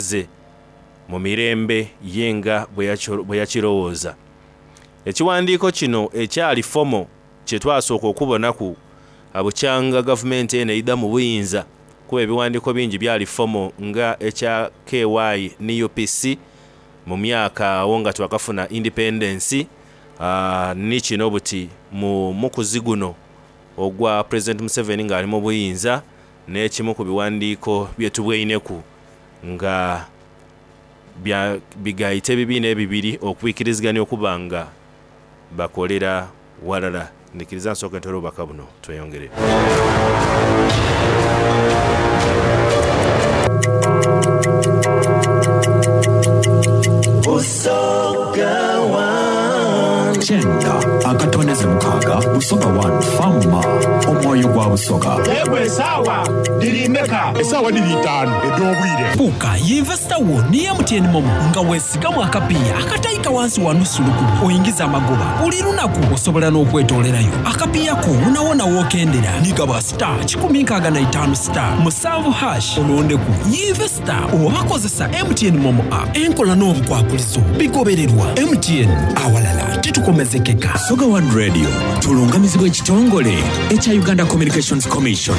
ze mu mirembe ye nga bwe yakirowooza. Ekiwandiiko kino ekyali fomo kye twasooka okubonaku bukyanga gavumenti eno eidha mu buyinza kuba ebiwandiiko bingi byali fomo nga ekya KY ni UPC mu myaka agho nga twakafuna independensi ni kino buti mu mukuzi guno ogwa Pulezidenti Museveni nga ali mu buyinza n'ekimu ku biwandiiko bye tubweineku nga bya bigaita ebibiina ebibiri okwikirizigania okuba nga bakolera ghalala. Ndhikiriza nsooke ntoole obubaka buno tweyongere. Busoga One. Kyenda akatondeze mukaaga Busoga One Farmer Omwoyo gwa Busoga. Yegwe esaawa dhiri meka? Esaawa dhiri itaanu edh'obwire. Fuuka yinvesita wo ni MTN MoMo nga wesigamu akapiiya akataika wansi wa nusu lukumi oingize amagoba buli lunaku. Osobola n'okwetoolerayo akapiiya ko wonawona w'okendera ni gaba star 165 star musanvu hash olondeku yinvesita oba kozesa MTN MoMo app. Enkola n'obukwakulizo bigobererwa. MTN, awalala titukomezekeka. Busoga One Radio tulungamizibwa ekitongole ekya Uganda Communications Commission.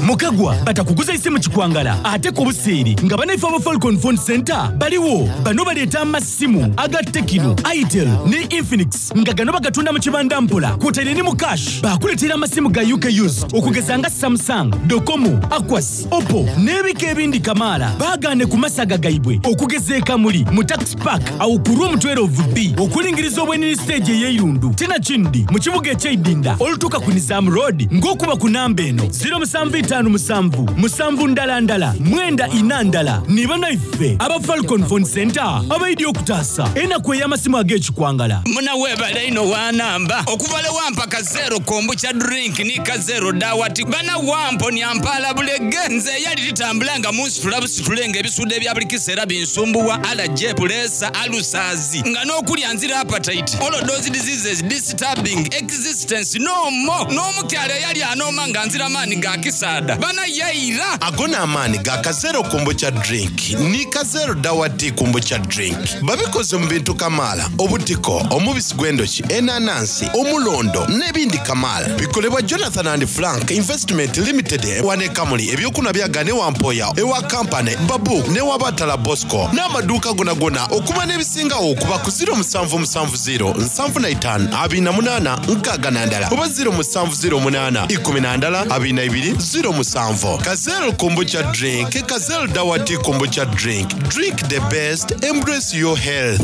Mukagwa batakuguza isimu kikwangala ate ku buseere nga banaife aba Falcon Phone Center baliwo. Bano baleeta amasimu aga Tecno, Itel ne Infinix nga gano bagatunda mu kibanda mpola kwotaire ni mu cash. Bakuleetera amasimu ga UK used okugeza nga Samsung, Docomo, Aquas, Oppo n'ebika ebindi kamaala. Baagaane ku masaga gaibwe okugeza e Kamuli mu Tax Park awo ku Room 12B okulingiriza obwenini siteegi ey'eirundu. Tinakindi mu kibuga eky'eidinda olutuuka ku Nizam Road ng'okuba ku namba eno ziro musanvu itaanu musanvu musanvu ndala ndala mwenda ina ndala. Ni banaife aba Falcon Phone Center abaidye okutaasa enaku ey'amasimu ag'ekikwangala. Muna webale inho wanamba okuva lwe wampa ka zero kombucha drink ni ka zero dawati bana wamponia mpaala bulege nze eyali titambula nga munsitula busitule nga ebisuudo ebya buli kiseera binsumbuwa allergy, puleesa, alusazi nga n'okulya nzira appetite all those diseases disturbing existence no more n'omukyala eyali anooma nga nzira maani ga kisaadha bana yaira. Ago n'amaani ga Kazero Kombucha Drink ni Kazero Dawa Tea Kombucha Drink. Babikoze mu bintu kamaala, obutiko, omubisi gw'endhoki, enanansi, omulondo n'ebindi kamaala. Bikolebwa Jonathan and Frank Investment Limited wano e Kamuli. Eby'okunhwa byagaana ewa Mpoya, ewa Kampane, Babu n'ewa Batala Bosco n'amaduuka gonagona. Okumanya ebisingagho kuba ku ziro musanvu musanvu ziro nsanvu na itaanu abiri na munaana nkaaga na ndala oba ziro musanvu ziro munaana ikumi na ndala abiri na ibiri ziro musanvu. Kazel Kombucha Drink, Kazel Dawa Tea Kombucha Drink. Drink the best, embrace your health.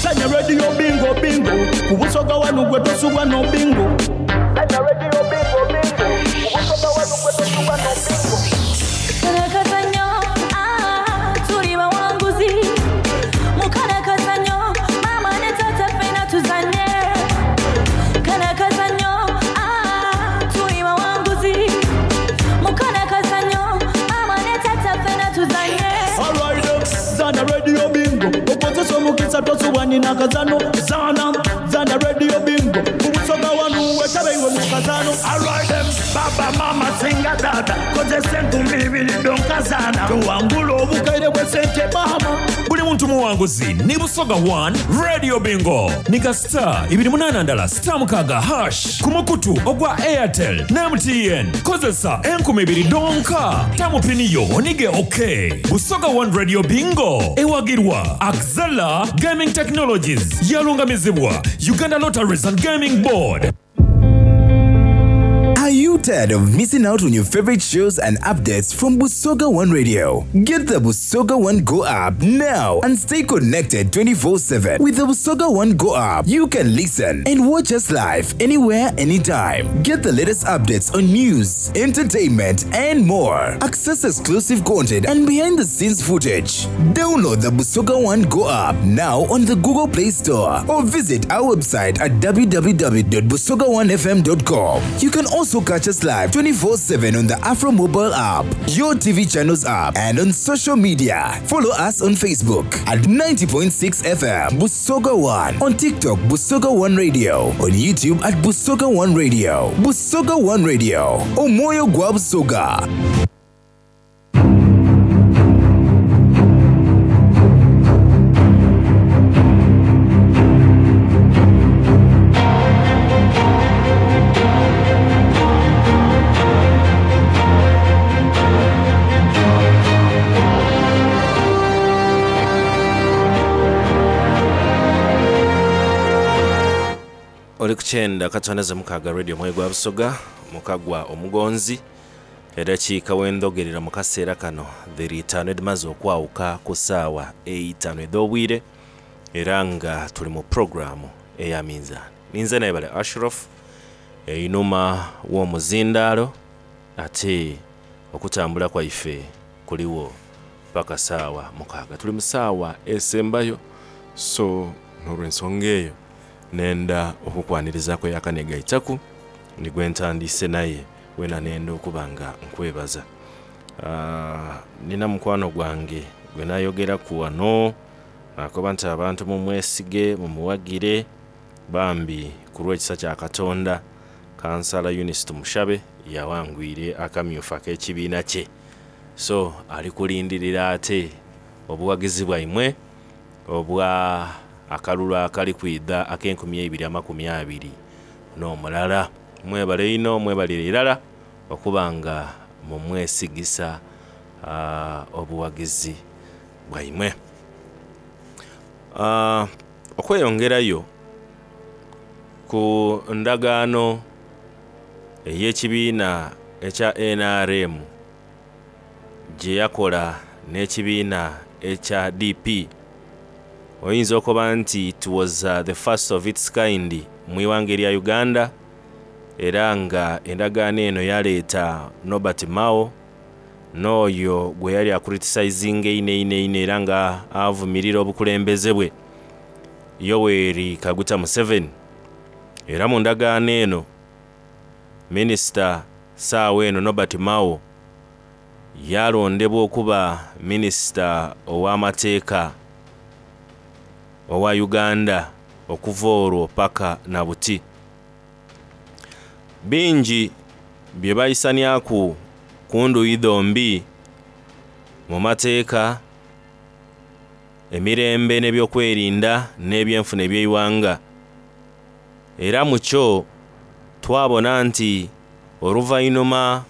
Sanya Radio Bingo Bingo ku Busoga wanu gwe tosubwa no bingo. Sanya Radio Bingo Bingo ku Busoga wanu gwe tosubwa no bingo. Kalakazanyo, ah, tuli bawanguzi. Mukalakazanyo, mama ne tata ffena tuzanye. Kalakazanyo, ah, tuli bawanguzi. Mukalakazanyo, mama ne tata ffena tuzanye. Alright, zana Radio Bingo okozesa omukisa tosubwa nina kazano. Zana, zana Radio Bingo ku Busoga wanu wetabe iwe mu kazano. Alright, baba mama singa tata kozesa enkumbi ibiri donkazana tuwangula obukaire bw'esente mama. Buli muntu muwanguzi ni Busoga One Radio Bingo ni ka star ibiri munaana ndala star mukaaga hash ku mukutu ogwa Airtel ne MTN. Kozesa enkumi ibiri dhonka tamu pini yo onige OK. Busoga One Radio Bingo ewagirwa Axela Gaming Technologies yalungamizibwa Uganda Lotteries and Gaming Board. Are you tired of missing out on your favorite shows and updates from Busoga One Radio? Get the Busoga One Go app now and stay connected 24/7. With the Busoga One Go app, you can listen and watch us live anywhere, anytime. Get the latest updates on news, entertainment, and more. Access exclusive content and behind-the-scenes footage. Download the Busoga One Go app now on the Google Play Store or visit our website at www.busoga1fm.com. You can also catch us live 24/7 on the Afro Mobile app, your TV channels app, and on social media. Follow us on Facebook at 90.6 FM Busoga One, on TikTok Busoga One Radio, on YouTube at Busoga One Radio. Busoga One Radio, Omoyo gwa Busoga. Oli ku kyenda akatondeze mukaaga Radio Omwoyo gwa Busoga mukagwa omugonzi edakiika wendhogerera mu kaseera kano dhiri itaanu edhimaze okwawuka ku saawa eitaanu edh'obwire era nga tuli mu pulogulaamu eya minzaani. Ninze Naibale Ashraf einhuma w'omuzindaalo ate okutambula kwaife kuligho paka saawa mukaaga. Tuli mu saawa esembayo so n'olwensonga eyo nenda okukwanirizaku eyakanegaitaku ni gwentandiise naye wena nenda okuba nga nkwebaza. Nina mukwano gwange gwenayogeraku ghano nakoba nti abantu mumwesige mumuwagire bambi ku lw'ekisa kya Katonda Kansala Eunice Tumushabe yawangwire akamyufu ak'ekibiina kye so ali kulindirira ate obuwagizi bwaimwe obwa akalulu akali kwidha ak'enkumi eibiri amakumi abiri n'omulala. Mwebale inho mwebalire irala okuba nga mumwesigisa obuwagizi bwaimwe. Okweyongerayo ku ndagaano ey'ekibiina ekya nrm gye yakola n'ekibiina ekya DP, oyinza okoba nti it was the first of its kind mu ighanga erya Uganda era nga endagaano eno yaleeta Norbert Mao n'oyo gweyali akuritisayizinga einho einho einho era nga avumirira obukulembeze bwe Yoweri Kaguta Museveni. Era mu ndagaano eno minisita saawa eno Norbert Mao yalondebwa okuba minisita ow'amateeka owa Uganda okuva olwo paka na buti. Bingi bye baisanyaku ku ndhuyi dhombi mu mateeka, emirembe n'ebyokwerinda n'ebyenfuna eby'eighanga. Era mu kyo twabona nti oluvainhuma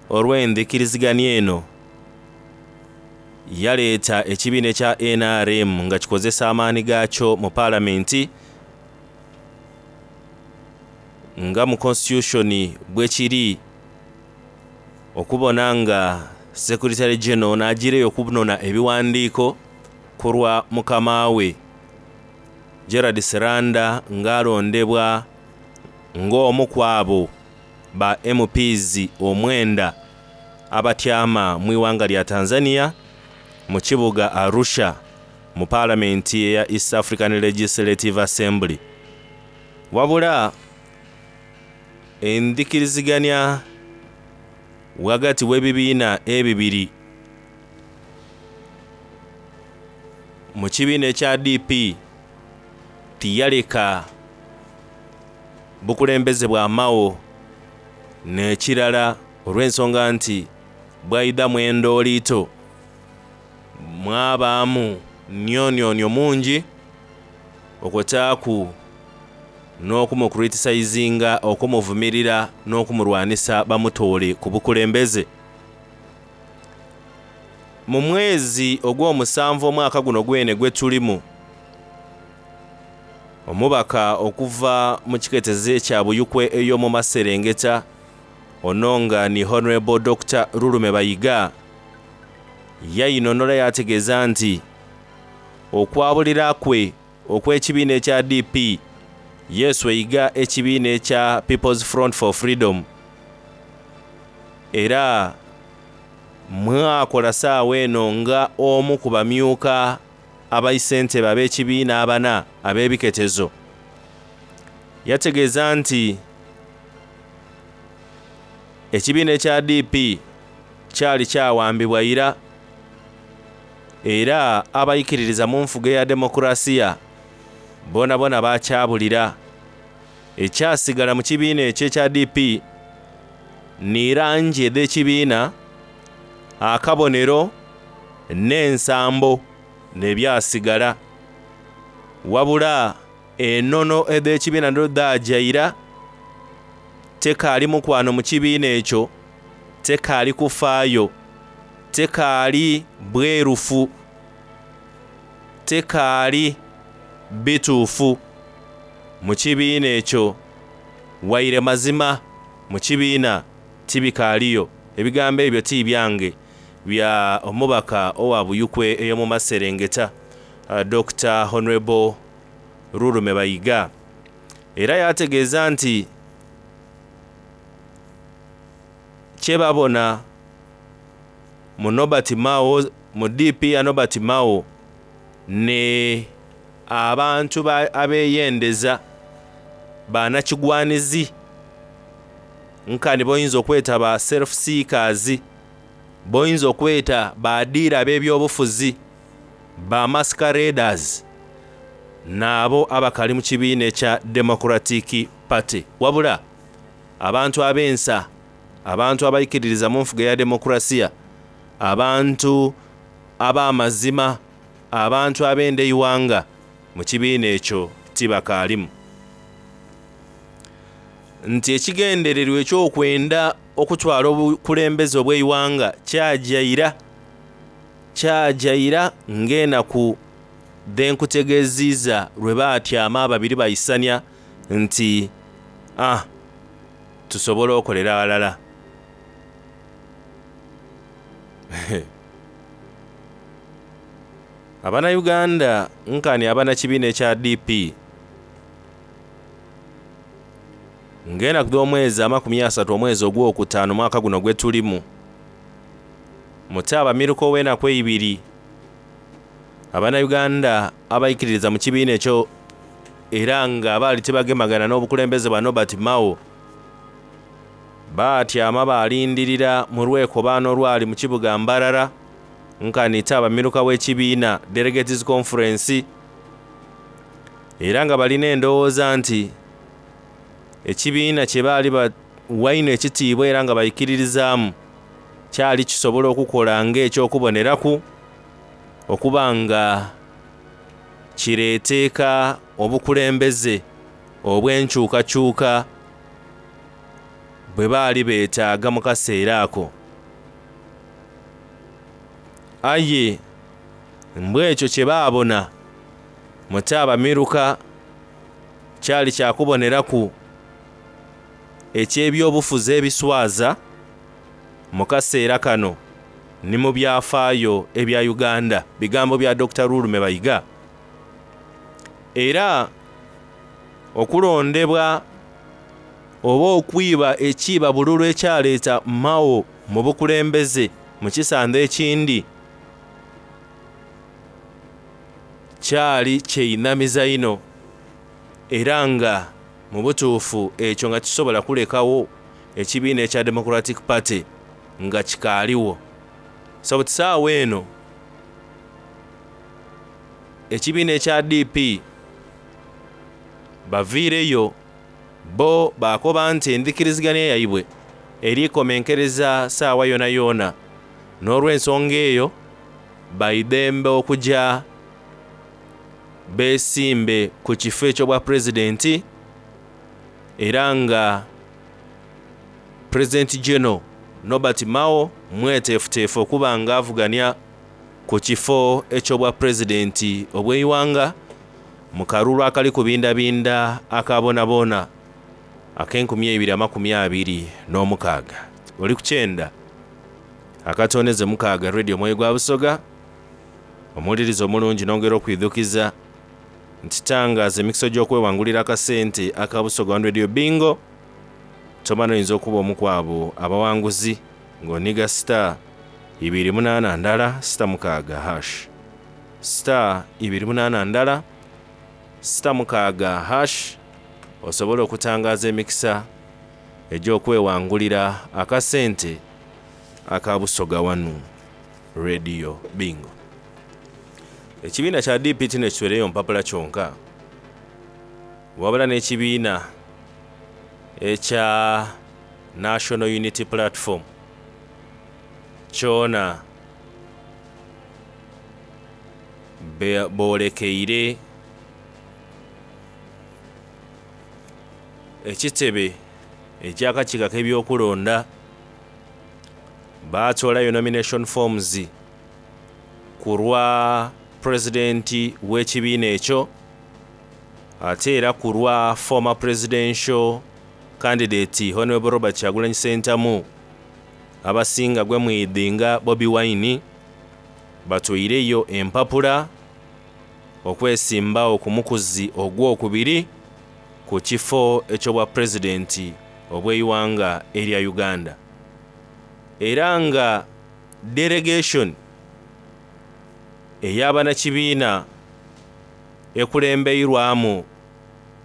olw'endhikiriziganya eno yaleeta ekibiina ekya nrm nga kikozesa amaani gaakyo mu palamenti nga mu constitution bwekiri okubona nga Secretary General n'agiireyo okunona ebiwandiiko ku lwa mukama we Gerald Siranda nga alondebwa ng'omu ku abo ba MPs omwenda abatyama mu ighanga lya Tanzania mu kibuga Arusha mu palamenti eya East African Legislative Assembly. Wabula endhikiriziganya ghagati w'ebibiina ebibiri mu kibiina ekya DP tiyaleka bukulembeze bwa Mao n'ekirala olw'ensonga nti bwaidhamu endooliito mwabaamu nionionio mungi okwotaaku n'okumukritisaizinga, okumuvumirira n'okumulwanisa bamutoole ku bukulembeze. Mu mwezi ogw'omusanvu omwaka guno gwene gwetulimu, omubaka okuva mu kiketezo ekya Buyukwe ey'omu maserengeta ono nga ni Honorable Dokita Lulume Bayiga yainhonhola yaategeeza nti okwabulira kwe okw'ekibiina ekya DP yeesweiga ekibiina ekya People's Front for Freedom era mwakola saawa eno nga omu ku bamyuka abaisentebe ab'ekibiina abana ab'ebiketezo. Yategeeza nti ekibiina ekya DP kyali kyawambibwa ira era abaikiririza mu nfuga eya demokurasiya bonabona bakyabulira. Ekyasigala mu kibiina ekyo ekya DP ni langi edh'ekibiina, akabonero n'ensambo n'ebyasigala. Wabula enono edh'ekibiina dho dhaaja ira, tekaali mukwano mu kibiina ekyo, tekaali kufaayo, tekaali bwerufu, tekaali bituufu. mu kibiina ekyo waire mazima mu kibiina tibikaaliyo. Ebigambo ebyo ti byange, bya omubaka owa Buyukwe ey'omu maserengeta, Dokita Honourable Rurume Bayiga. Era yaategeeza nti kyebabona mu Nobert Mao, mu DP ya Nobert Mao ne abantu abeyendeza banakigwanizi nkani boyinza okweta ba self seekers, boyinza okweta ba diira ab'ebyobufuzi, ba masqueraders, naabo abakali mu kibiina ekya Democratic Party. Wabula abantu ab'ensa, abantu abaikiririza mu nfuga ya demokrasiya, abantu ab'amazima, abantu ab'enda eighanga mu kibiina ekyo tibakaalimu. Nti ekigendererwa eky'okwenda okutwala obukulembeze obw'eighanga kyajaira, kyajaira ng'enaku dhenkutegeziiza lwe baatyama ababiri baisania nti ah, tusobole okolera ghalala. Abannayuganda nkani abanakibiina ekya DP ng'enaku dh'omwezi 30 omwezi ogwokutaano mwaka guno gwe tulimu, mutaabamiruka ow'enaku eibiri, Abannayuganda abaikiririza mu kibiina ekyo era nga baali tibagemagana n'obukulembeze bwa Nobert Mao baatyama baalindirira mu lwekobaano olwali mu kibuga Mbarara nkani taabamiruka w'ekibiina Delegates Conference, era nga balina endowooza nti ekibiina kye baali bawaine ekitiibwa era nga baikiririzaamu kyali kisobola okukola ng'ekyokuboneraku okuba nga kireeteeka obukulembeze obw'enkyukakyuka bwe baali beetaaga mu kaseera ako. Aye mbwekyo kye baabona mutaabamiruka kyali kyakuboneraku eky'ebyobufuzi ebiswaza mu kaseera kano ni mu byafaayo ebya Uganda. Bigambo bya Dr. Rurume Bayiga. Era okulondebwa oba okwiba ekiiba bululu ekyaleeta Mao mu bukulembeze mu kisando ekindi kyali kyeinamiza inho, era nga mu butuufu ekyo nga kisobola kulekawo ekibiina ekya Democratic Party nga kikaaliwo. So buti saawa eno ekibiina ekya DP baviireyo bo baakoba nti endhikiriziganya yaibwe erikomenkereza saawa yona yona, n'olw'ensonga eyo baidembe okuja beesimbe ku kifo eky'obwa pulezidenti, era nga Pulezidenti General Nobert Mao mweteefuteefu okuba nga avugania ku kifo eky'obwa pulezidenti obw'eighanga mu kalulu akali kubindabinda aka boonaboona ak'e2026. Oli ku kyenda akatoneze mukaaga Radio Omwoyo gwa Busoga, omuwuliriza omulungi nongera okwidhukiza nti tangaza emikisa gy'okwewangulira akasente aka Busoga One Radio Bingo. Tomana oyinza okuba omu ku abo abawanguzi ng'oniga star 281 star 6 hash, star 281 star 6 hash, osobole okutangaza emikisa egy'okwewangulira akasente aka Busoga One Radio Bingo. Ekibiina kya DP tino ekitwereyo mpapula kyonka, wabula n'ekibiina ekya National Unity Platform kyona boolekeire ekitebe eky'akakiiko ak'ebyokulonda baatoolayo nomination forms ku lwa pulezidenti w'ekibiina ekyo. Ate era ku lwa former presidential candidate Honourable Robert Kyagulanyi Ssentamu abasinga gwe mwidhi nga Bobi Wine batweireyo empapula okwesimbawo ku mukuzi ogwokubiri ku kifo eky'obwa pulezidenti obw'eighanga erya Uganda era nga delegation ey'abanakibiina ekulembeirwamu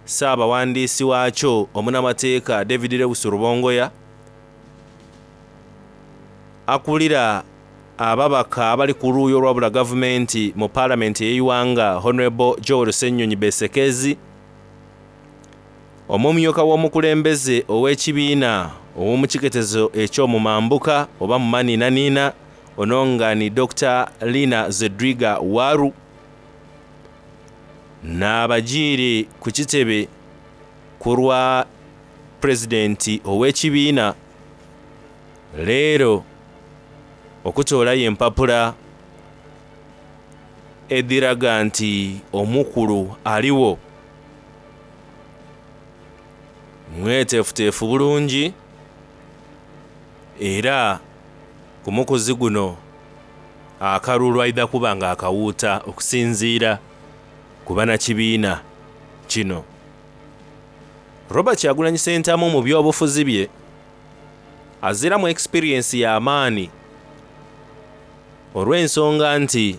Ssaabawandiisi waakyo omunamateeka David Lewis Rubongoya, akulira ababaka abali ku luuyi olwabula gavumenti mu palamenti ey'eighanga Honourable Joel Ssenyonyi Besekezi, omumyuka w'omukulembeze ow'ekibiina ow'omukiketezo eky'omumambuka oba mu maninanina ono nga ni Dokita Lina Zedriga Waru, N'abagiire ku kitebe ku lwa Pulezidenti ow'ekibiina leero okutoolayo empapula edhiraga nti omukulu aligho mweteefuteefu bulungi era ku mukuzi guno akalulu aidha kuba nga akawuuta okusinziira ku banakibiina kino. Robert Kyagulanyi Ssentamu mu byobufuzi bye aziramu experience ya maani olw'ensonga nti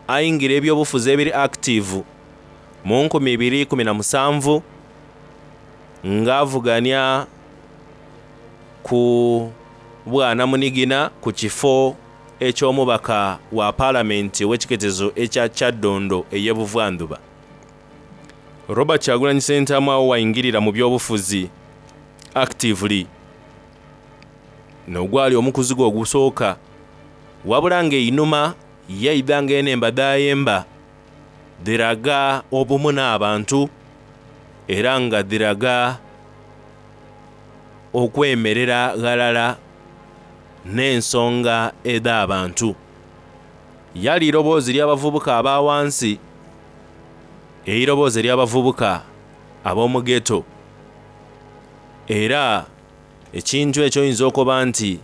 aingira ebyobufuzi ebiri active mu 2017 nga avugania ku bwanamunigina ku kifo eky'omubaka wa palamenti ow'ekiketezo ekya Kyaddondo ey'e Buvandhuba. Robert Kyagulanyi Ssentamu agho waingirira mu byobufuzi actively n'ogwali omukuzi gwe ogusooka wabula nga einhuma yaidha nga enhemba dhayemba dhiraga obumu n'abantu era nga dhiraga okwemerera ghalala n'ensonga edh'abantu. Yali iroboozi ly'abavubuka aba ghansi, eiroboozi ery'abavubuka ab'omu ghetto. Era ekintu ekyo oyinza okoba nti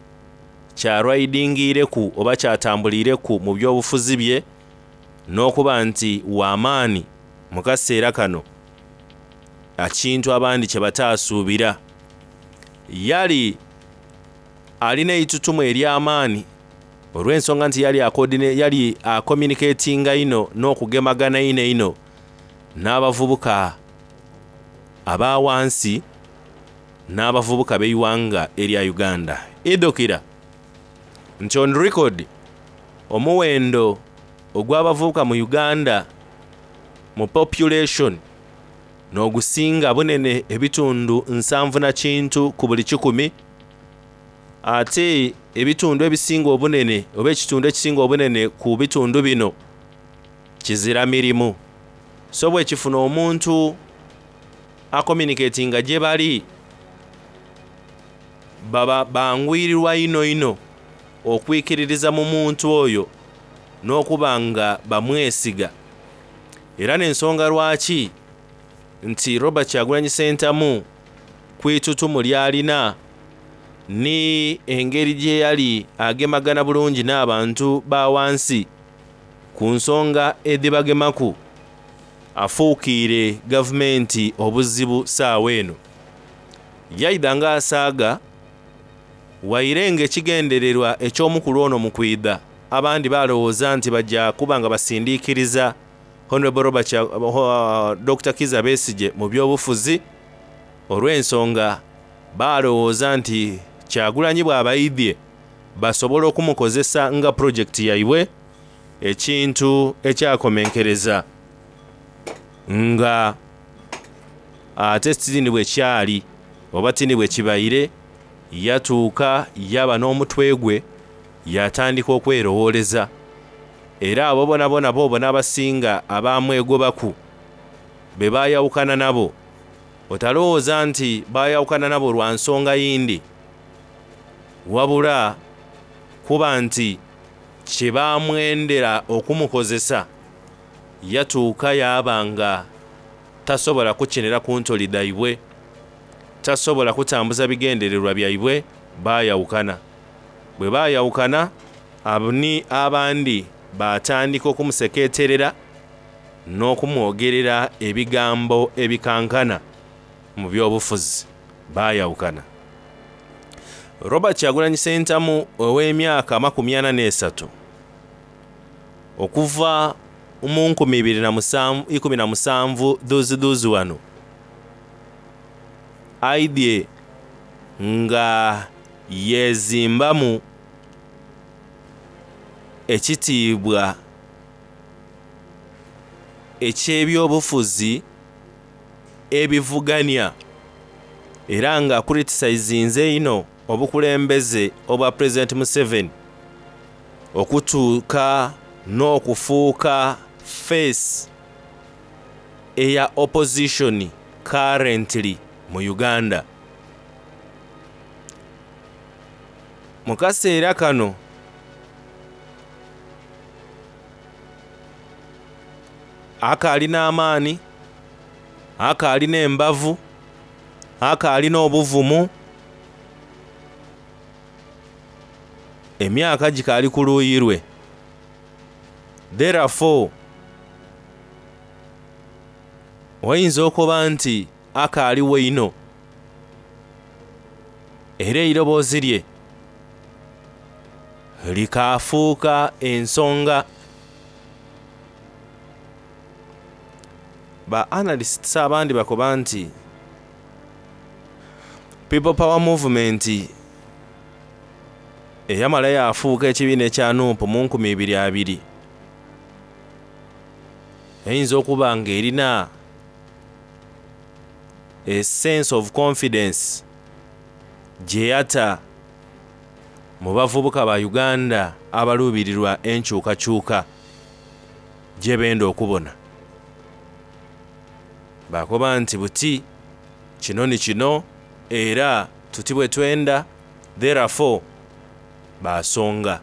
kyalwaidingiireku oba kyatambuliireku mu byobufuzi bye n'okuba nti wa maani mu kaseera kano, ekintu abandi kye bataasuubira. Yali alina eitutumu ery'amaani olw'ensonga nti yali yali akomuniketinga inho n'okugemagana einho einho n'abavubuka aba ghansi n'abavubuka b'eighanga erya Uganda. Idhukira nti on record omuwendo ogw'abavubuka mu Uganda mu population n'ogusinga bunene ebitundu nsanvu na kintu ku buli kikumi, ate ebitundu ebisinga obunene oba ekitundu ekisinga obunene ku bitundu bino kizira mirimu. So bwekifuna omuntu akomuniketinga gyebali baba bangwirirwa inho inho okwikiririza mu muntu oyo n'okuba nga bamwesiga. Era n'ensonga lwaki nti Robert Kyagulanyi Ssentamu ku itutumu ly'alina ni engeri gye yali agemagana bulungi n'abantu ba ghansi ku nsonga edhibagemaku afuukiire gavumenti obuzibu saawa eno. Yaidha nga asaaga waire nga ekigendererwa eky'omukulu ono mu kwidha abandi balowooza nti baja kuba nga basindiikiriza Honourable Robert Dokita Kizza Besigye mu byobufuzi olw'ensonga balowooza nti Kyagulanyi bw'abaidhye basobola okumukozesa nga pulojekiti yaibwe ekintu ekyakomenkereza nga ate tini bwekyali oba tini bwekibaire yatuuka yaba n'omutwe gwe yatandika okwerowooleza era abo bonabona b'obona abasinga abamwegobaku be bayawukana nabo otalowooza nti bayawukana nabo lwa nsonga yindi wabula kuba nti kye bamwendera okumukozesa yatuuka yaaba nga Tasobola kukinira ku ntoli dhaibwe, tasobola kutambuza bigendererwa byaibwe, baayawukana. Bwe baayawukana, ni abandi baatandika okumuseketerera n'okumwogerera ebigambo ebikankana mu by'obufuzi. Baayawukana. Robert Kyagulanyi Ssentamu ow'emyaka 43 okuva mu 2017 dhuuzidhuuzi wano aidhye nga yeezimbamu ekitiibwa eky'ebyobufuzi ebivugania era nga akuritisayizinze inho obukulembeze obwa Pulezidenti Museveni okutuuka n'okufuuka face eya opposition currently mu Uganda. Mu kaseera kano akaali n'amaani, akaali n'embavu, akaali n'obuvumu, emyaka gikaali ku luuyi lwe. Therefore, oyinza okuba nti akaaliwo inho era eiroboozi lye likaafuuka ensonga. Ba analysts abandi bakoba nti People Power Movement eyamala yaafuuka ekibiina ekya Nup mu 2020 eyinza okuba nga erina a sense of confidence gyeyata mu bavubuka ba Uganda abaluubirirwa enkyukakyuka gyebenda okubona. Bakoba nti buti kino ni kino era tuti bwe twenda therefore baasonga.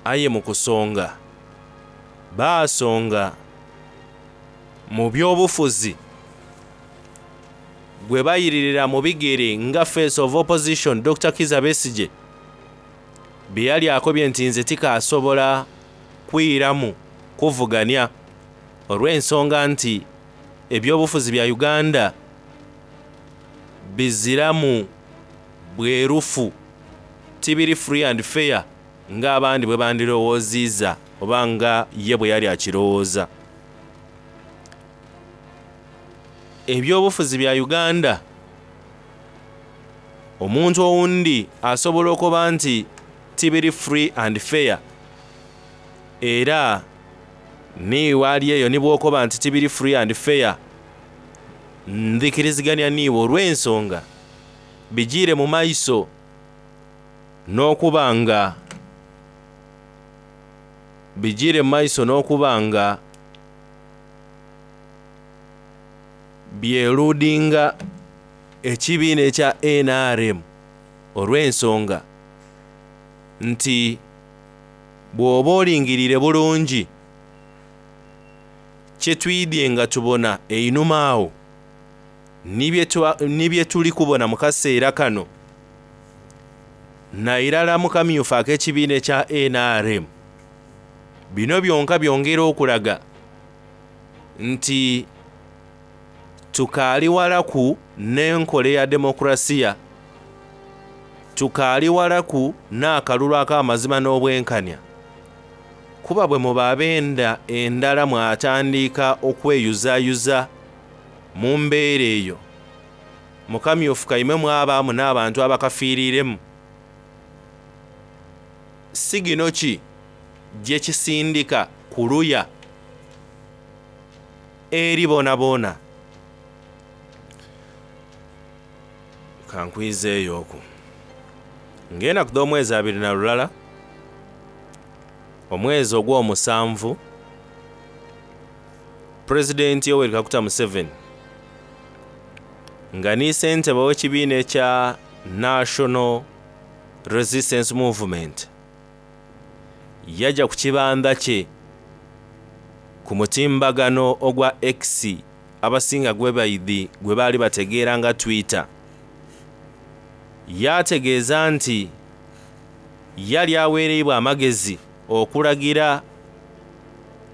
Aye mu kusonga baasonga mu by'obufuzi gwe bayiririra mu bigere nga face of opposition Dokita Kizza Besigye bye yali akobye nti nze tikaasobola kwiramu kuvugania olw'ensonga nti ebyobufuzi bya Uganda biziramu bwerufu tibiri free and fair ng'abandi bwe bandirowooziiza oba nga ye bwe yali akirowooza. Ebyobufuzi bya Uganda omuntu owundi asobola okuba nti tibiri free and fair era niiwe ali eyo ni bw'okoba nti tibiri free and fair ndhikirizigania niiwe olw'ensonga bijiire mu maiso n'okuba nga bijiire mu maiso n'okuba nga byeludinga ekibiina ekya NRM olw'ensonga nti bw'oba olingiriire bulungi kye twidhye nga tubona einhuma agho ni bye tuli kubona mu kaseera kano nairala mu kamyufu ak'ekibiina ekya NRM bino byonka byongera okulaga nti tukaali walaku n'enkola eya demokrasiya, tukaali walaku n'akalulu ak'amazima n'obwenkanya. Kuba bwe muba ab'enda endala mwatandika okweyuzayuza mu mbeera eyo, mu kamyufu kaimwe mwabaamu n'abantu abakafiiriiremu. Sigino ki gye kisindika ku luya eri boonaboona? Ka nkwizeeyooku. Ng'enaku dh'omwezi 21, omwezi ogw'omusanvu, Pulezidenti Yoweri Kaguta Museveni nga ni ssentebe ow'ekibiina ekya National Resistance Movement yaja ku kibandha kye ku Ku mutimbagano ogwa X abasinga gwebaidhi gwebaali bategeera nga Twitter, yaategeeza nti yali aweereibwa amagezi okulagira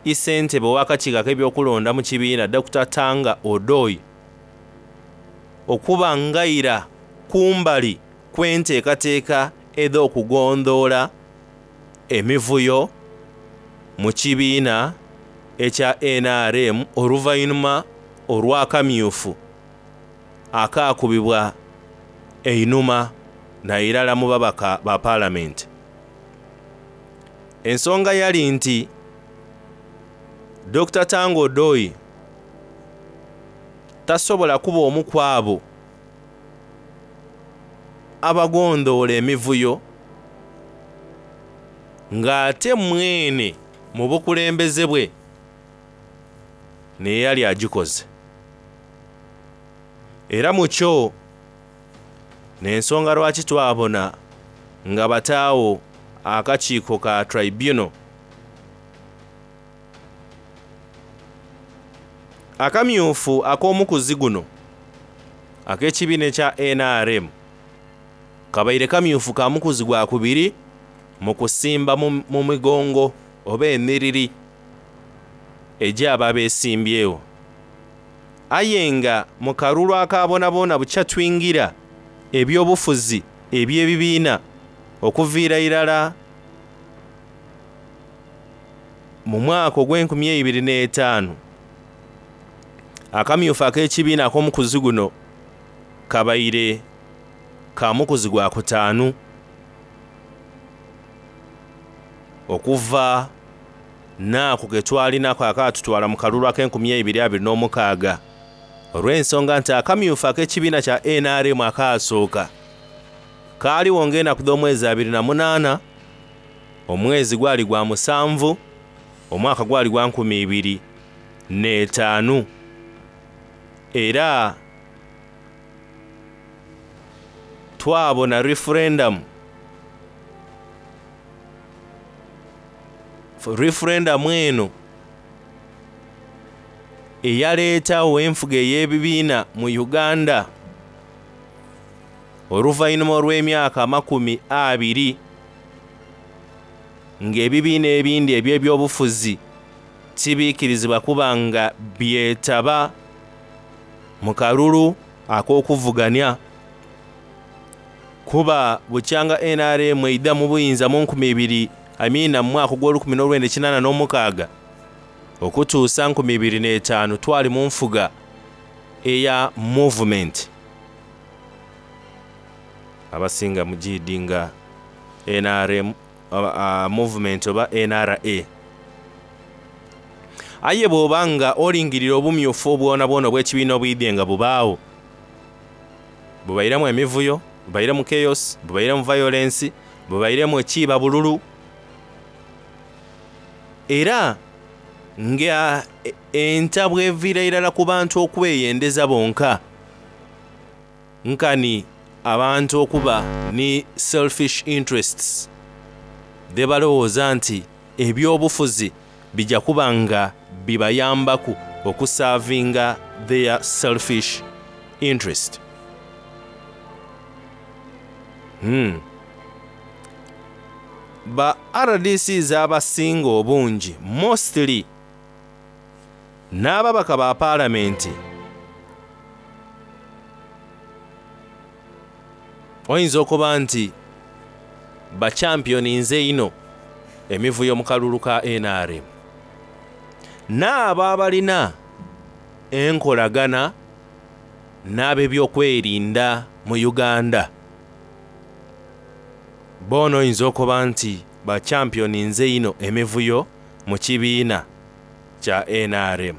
Issentebe ow'akakiiko ak'ebyokulonda mu kibiina Dokita Tanga Odoi okuba ngaira kumbali kw'enteekateeka edh'okugondhoola emivuyo mu kibiina ekya nrm oluvainhuma olw'akamyufu akaakubibwa einhuma nairala mu babaka ba Palamenti. Ensonga yali nti Dokita Tanga Odoi tasobola kuba omu ku abo abagondhoola emivuyo ng'ate mwene mu bukulembeze bwe n'eyali agikoze. Era mu kyo n'ensonga lwaki twabona nga bataagho akakiiko ka Tribunal. Akamyufu ak'omukuzi guno ak'ekibiina ekya nrm kabaire kamyufu ka mukuzi gwa kubiri mu kusimba mu migongo oba enhiriri egy'abo abeesimbyewo. Aye nga mu kalulu aka boonaboona bukya twingira ebyobufuzi eby'ebibiina okuviira irala mu mwaka ogw'enkumi eibiri n'etaanu, akamyufu ak'ekibiina ak'omukuzi guno kabaire ka mukuzi gwa kutaanu okuva n'ako ke twalinaku akaatutwala mu kalulu ak'enkumi eibiri abiri n'omukaaga olw'ensonga nti akamyufu ak'ekibiina kya nrm akaasooka kaaliwo ng'enaku dh'omwezi 28, omwezi gwali gwa musanvu, omwaka gwali gwa 2005 era twabona referendum. Referendum eno eyaleetawo enfuga ey'ebibiina mu Uganda oluvannyuma olw'emyaka 20 ng'ebibiina ebindi eby'ebyobufuzi tibiikirizibwa kuba nga byetaba mu kalulu ak'okuvuganya. Kuba bukyanga nrm eidha mu buyinza mu nkumi ibiri, I mean mu mwaka ogw'olukumi n'olwenda ekinana n'omukaaga okutuusa 2005 twali mu nfuga eya movement. Abasinga mugiidi nga nrm movement oba NRA. Aye bw'oba nga olingirira obumyufu bwonabwona obw'ekibiina obwidhye nga bubaagho, bubairemu emivuyo, bubairemu chaos, bubairemu violence, bubairemu ekiiba bululu, era nga entabwe eviira irala ku bantu okweyendeza bonka, nkani abantu okuba ni selfish interests dhebalowooza nti ebyobufuzi bija kuba nga bibayambaku okusavinga their selfish interest. Ba RDCs abasinga obungi mostly n'ababaka ba Palamenti oyinza okuba nti bachampioninze inho emivuyo mu kalulu ka nrm, n'abo abalina enkolagana n'ab'ebyokwerinda mu Uganda boona oyinza okuba nti bachampioninze inho emivuyo mu kibiina kya nrm.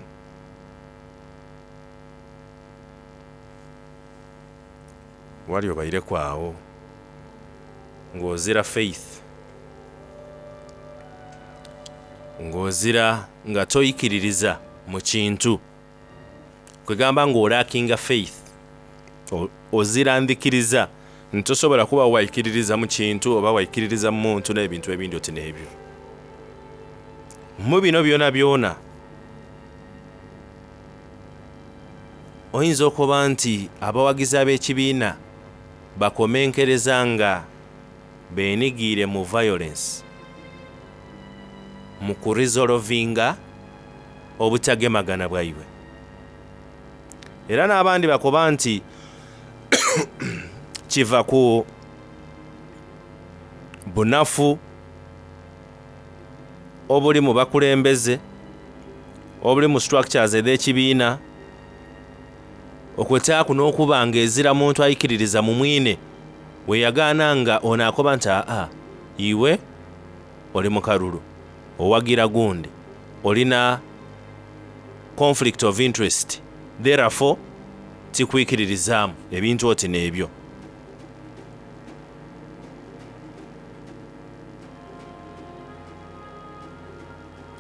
Wali obaireku agho ng'ozira faith, ng'ozira nga toikiririza mu kintu, kwegamba ng'olakinga faith, ozira ndhikiriza nti tosobola kuba waikiririza mu kintu oba waikiririza mu muntu n'ebintu ebindi oti n'ebyo. Mu bino byonabyona Oyinza okuba nti abawagizi ab'ekibiina bakomenkereza nga beenigiire mu violence mu kurizolovinga obutagemagana bwaibwe. Era n'abandi bakoba nti kiva ku bunafu obuli mu bakulembeze, obuli mu structures edh'ekibiina, okwetaaku n'okuba nga ezira muntu aikiririza mu mwine weyagaana nga ono akoba nti aa iwe oli mu kalulu owagira gundi olina conflict of interest therefore tikwikiririzaamu ebintu oti n'ebyo.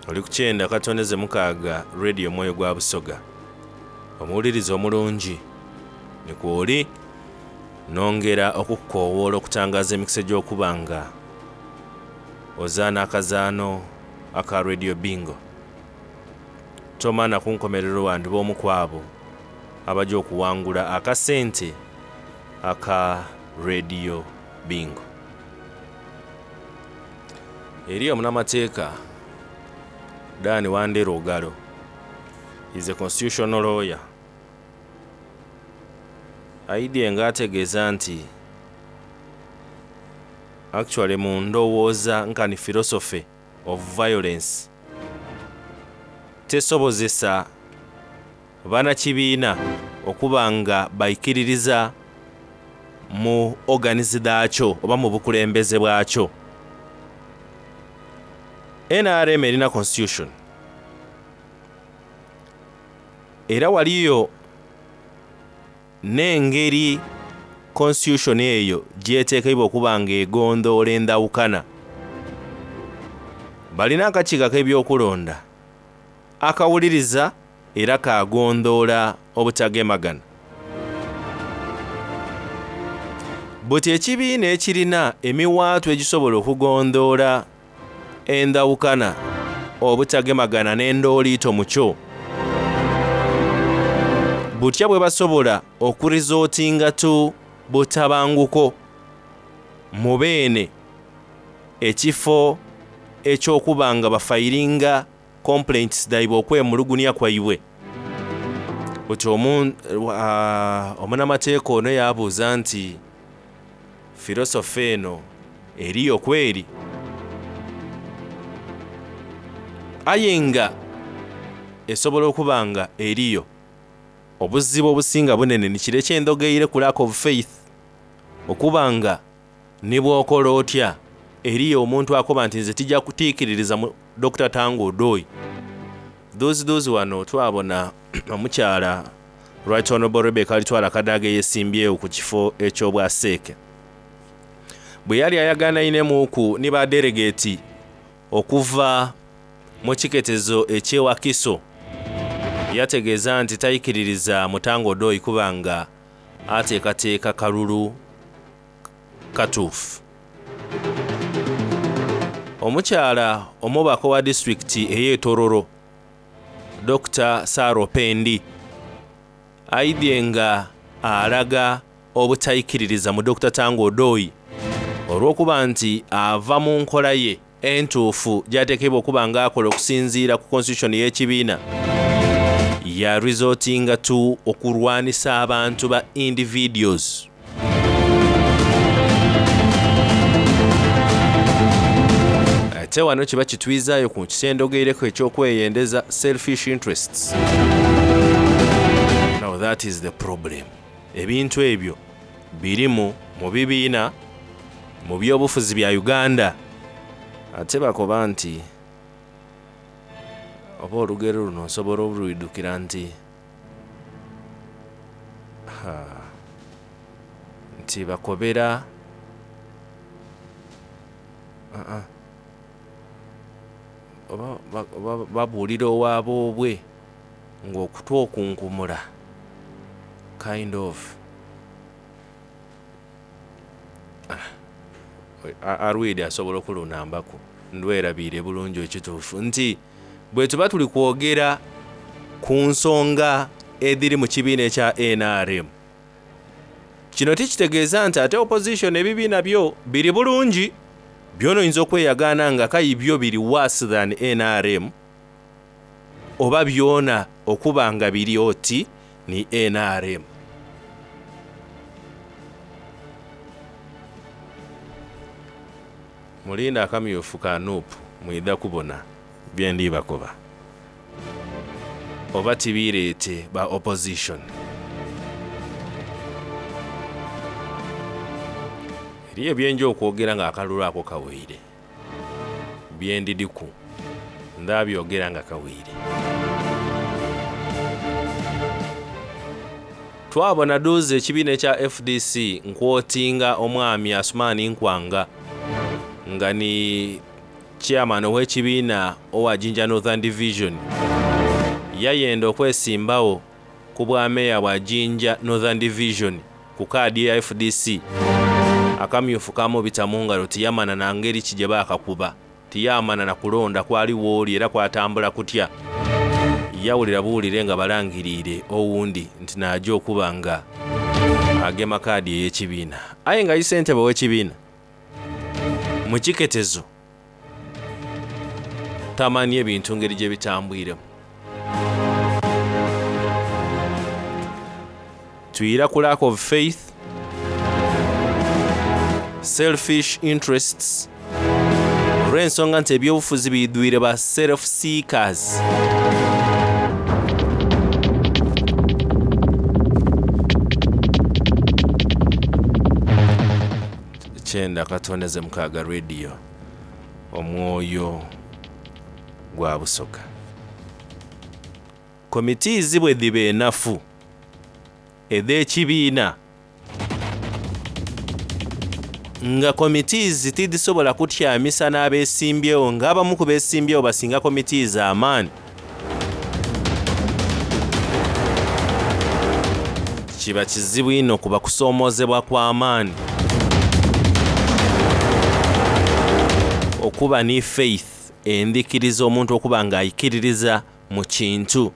Oli ku kyenda katondeze mukaaga Radio Omwoyo gwa Busoga. Omuwuliriza omulungi ni kwoli nongera okukukoowoola okutangaza emikisa egy'okuba nga ozaana akazaano aka Radio Bingo. Tomana ku nkomerero wandiba omu ku abo abajja okuwangula akasente aka Radio Bingo. Eri omunamateeka Dan Wandera Ogalo is a constitutional lawyer aidye nga ategeeza nti actually mu ndowooza nkani philosophy of violence tesobozesa banakibiina okuba nga baikiririza mu organs dhaakyo oba mu bukulembeze bwakyo. NRM erina constitution era waliyo n'engeri constitution eyo gyeteekeibwa okuba nga egondoola endawukana. Balina akakiiko ak'ebyokulonda akawuliriza era kagondoola obutagemagana. Buti ekibiina ekirina emiwaatwa egisobola okugondoola endawukana, obutagemagana n'endooliito mu kyo, butya bwe basobola okurizootinga tu butabanguko mu beene ekifo eky'okuba nga bafayiringa complaints dhaibwe okwemulugunya kwaibwe. Buti omunamateeka ono yabuuza nti filosofa eno eriyo kweri? Aye nga esobola okuba nga eriyo. Obuzibu obusinga bunene ni kire eky'endhogeire ku lack of faith, okuba nga ni bw'okola otya eriyo omuntu akoba nti nze tija kutiikiririza mu Dr. Tanga Odoi. Dhuuzi wano twabona omukyala Right Honorable Rebecca Alitwala Kadaga eyesimbyewo ku kifo eky'obwaseeke. Bwe yali ayaganainemu ni ba delegate okuva mu kiketezo eky'e Wakiso, yategeeza nti taikiririza Mutanga Odoi kuba nga ateekateeka kalulu katuufu. Omukyala omubaka wa disitulikiti ey'e Tororo Dr. Sarah Opendi aidye nga alaga obutaikiririza mu Dr. Tanga Odoi olw'okuba nti ava mu nkola ye entuufu gy'ateekebwa okuba nga akola okusinziira ku constitution y'ekibiina ya resortinga to okulwanisa abantu ba individuals. Ate wano kiba kitwizaayo ku kisendogeireko eky'okweyendeza selfish interests. Now that is the problem. Ebintu ebyo birimu mu bibiina mu byobufuzi bya Uganda. Ate bakoba nti oba olugero luno nsobola olwidukira nti nti bakobera oba babuulira owaboobwe ng'okutwa okunkumula kind of Arwidi asobola okulunambaku ndwerabiire bulungi ekituufu nti bwe tuba tuli kwogera ku nsonga edhiri mu kibiina ekya nrm. Kino tikitegeeza nti ate opposition ebibiina byo biri bulungi, byona oyinza okweyagaana nga kayi byo biri worse than nrm oba byona okuba nga biri oti ni nrm. Mulinde akamyufu ka nup mwidha kubona byendi bakoba. Oba tibiireete ba opposition. Eriyo byenja okwogera nga akalulu ako kaweire. Byendidhiku ndhabyogera nga kaweire. Twabona dhuuzi ekibiina ekya fdc nkwotinga omwami Asuman Nkwanga nga ni chairman ow'ekibiina owa Jinja Northern Division yayenda okwesimbagho ku bwa meeya bwa Jinja Northern Division ku kaadi eya fdc. Akamyufu kamubita mu ngalo tiyamana na ngeri ki gye baakakuba, tiyamana na kulonda kwali wooli era kwatambula kutya. Yawulira buwulire nga balangiriire owundi nti naaja okuba nga agema kaadi ey'ekibiina. Aye nga ssentebe ow'ekibiina mu kiketezo tamani ebintu ngeri gye bitambwiremu. Twira ku lack of faith, selfish interests, olw'ensonga nti ebyobufuzi biidhwire ba self seekers. 9.6 Radio, omwoyo gwa Busoga. Committees bwe dhiba enafu edh'ekibiina, nga committees tidhisobola kutyamisa n'abesimbyewo, nga abamu ku besimbyewo basinga committees amaani, kiba kizibu inho kuba kusoomozebwa kw'amaani okuba ni faith endhikiriza omuntu okuba nga aikiririza mu kintu.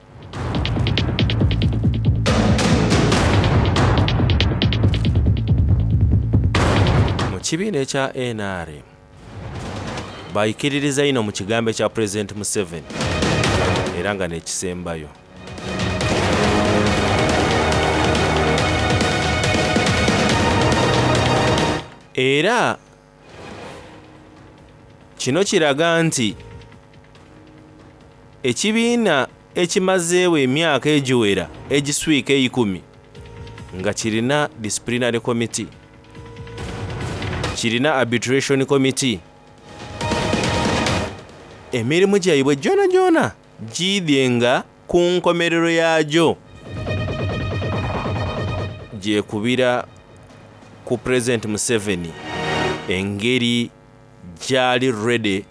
Mu kibiina ekya NRM baikiririza inho mu kigambo ekya Pulezidenti Museveni era nga n'ekisembayo. Era kino kiraga nti ekibiina ekimazeewo emyaka egiwera egiswika eikumi nga kirina disciplinary committee, kirina arbitration committee, emirimu gyaibwe gyonagyona giidhye nga ku nkomerero yaagyo gyekubira ku Pulezidenti Museveni engeri gyali ready